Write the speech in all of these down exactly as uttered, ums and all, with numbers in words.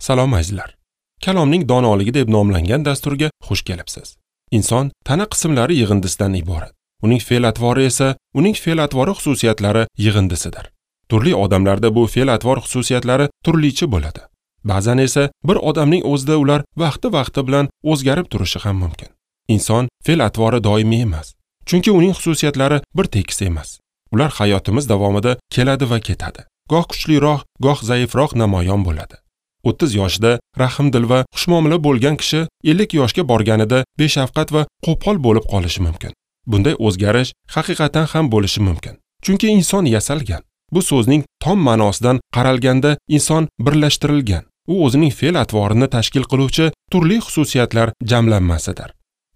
Salom azizlar. Kalomning donoligi deb nomlangan dasturga xush kelibsiz. Inson tana qismlari yig'indisidan iborat. Uning fe'l-atvori esa uning fe'l-atvori xususiyatlari yig'indisidir. Turli odamlarda bu fe'l-atvor xususiyatlari turlicha bo'ladi. Ba'zan esa bir odamning o'zida ular vaqti-vaqti bilan o'zgarib turishi ham mumkin. Inson fe'l-atvori doimiy emas, chunki uning xususiyatlari bir tekis emas. Ular hayotimiz davomida keladi va ketadi. Goh kuchliroq, goh zaifroq namoyon bo'ladi. o'ttiz yoshida rahmdil va xushmuomala bo'lgan kishi ellik yoshga borganida beshafqat va qo'pol bo'lib qolishi mumkin. Bunday o'zgarish haqiqatan ham bo'lishi mumkin. Chunki inson yasalgan. Bu so'zning tom ma'nosidan qaralganda inson birlashtirilgan. U o'zining fe'l-atvorini tashkil qiluvchi turli xususiyatlar jamlanmasidir.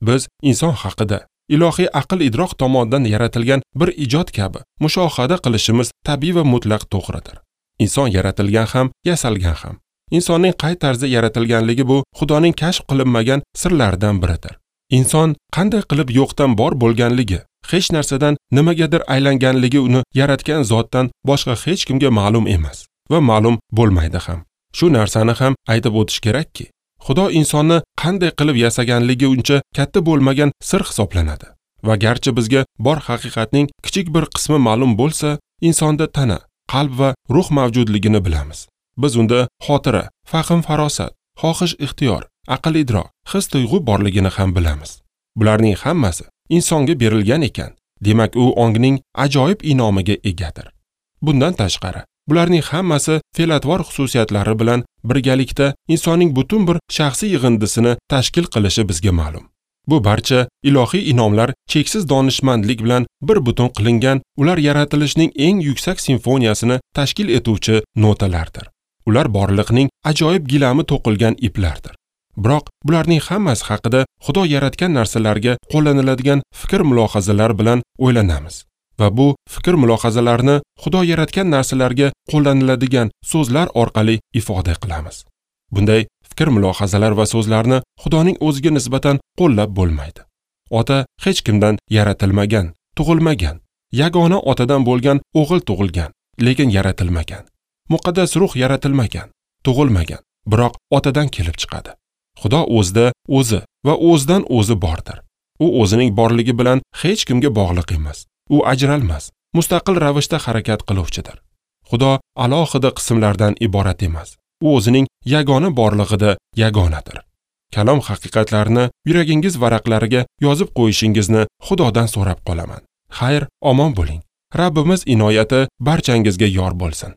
Biz inson haqida ilohiy aql-idrok tomonidan yaratilgan bir ijod kabi mushohada qilishimiz tabiiy va mutlaq to'g'ridir. Inson yaratilgan ham, yasalgan ham. Insonning qay tarzda yaratilganligi bu Xudoning kashf qilinmagan sirlaridan biridir. Inson qanday qilib yo'qdan bor bo'lganligi, hech narsadan nimagadir aylanganligi uni yaratgan zotdan boshqa hech kimga ma'lum emas va ma'lum bo'lmaydi ham. Shu narsani ham aytib o'tish kerakki, Xudo insonni qanday qilib yasaganligi uncha katta bo'lmagan sir hisoblanadi. Va garchi bizga bor haqiqatning kichik bir qismi ma'lum bo'lsa, insonda tana, qalb va ruh mavjudligini bilamiz. Biz unda xotira, fahm farosat, xohish ixtiyor, aql idrok, his tuyg'u borligini ham bilamiz. Bularning hammasi insonga berilgan ekan, demak u ongning ajoyib inomiga egadir. Bundan tashqari, bularning hammasi fe'l-atvor xususiyatlari bilan birgalikda insonning butun bir shaxsiy yig'indisini tashkil qilishi bizga ma'lum. Bu barcha ilohiy inomlar cheksiz donishmandlik bilan bir butun qilingan, ular yaratilishning eng yuksak simfoniyasini tashkil etuvchi notalardir. Ular borliqning ajoyib gilami to'qilgan iplardir. Biroq bularning hammasi haqida Xudo yaratgan narsalarga qo'llaniladigan fikr-mulohazalar bilan o'ylanamiz va bu fikr-mulohazalarni Xudo yaratgan narsalarga qo'llaniladigan so'zlar orqali ifoda qilamiz. Bunday fikr-mulohazalar va so'zlarni Xudoning o'ziga nisbatan qo'llab bo'lmaydi. Ota hech kimdan yaratilmagan, tug'ilmagan. Yagona otadan bo'lgan o'g'il tug'ilgan, lekin yaratilmagan. Muqaddas ruh yaratilmagan, tug'ilmagan, biroq otadan kelib chiqadi. Xudo o'zida o'zi va o'zidan o'zi bordir. U o'zining borligi bilan hech kimga bog'liq emas. U ajralmas, mustaqil ravishda harakat qiluvchidir. Xudo alohida qismlardan iborat emas. U o'zining yagona borlig'ida yagonadir. Kalom haqiqatlarini yuragingiz varaqlariga yozib qo'yishingizni Xudodan so'rab qolaman. Xayr, omon bo'ling. Rabbimiz inoyati barchangizga yor bo'lsin.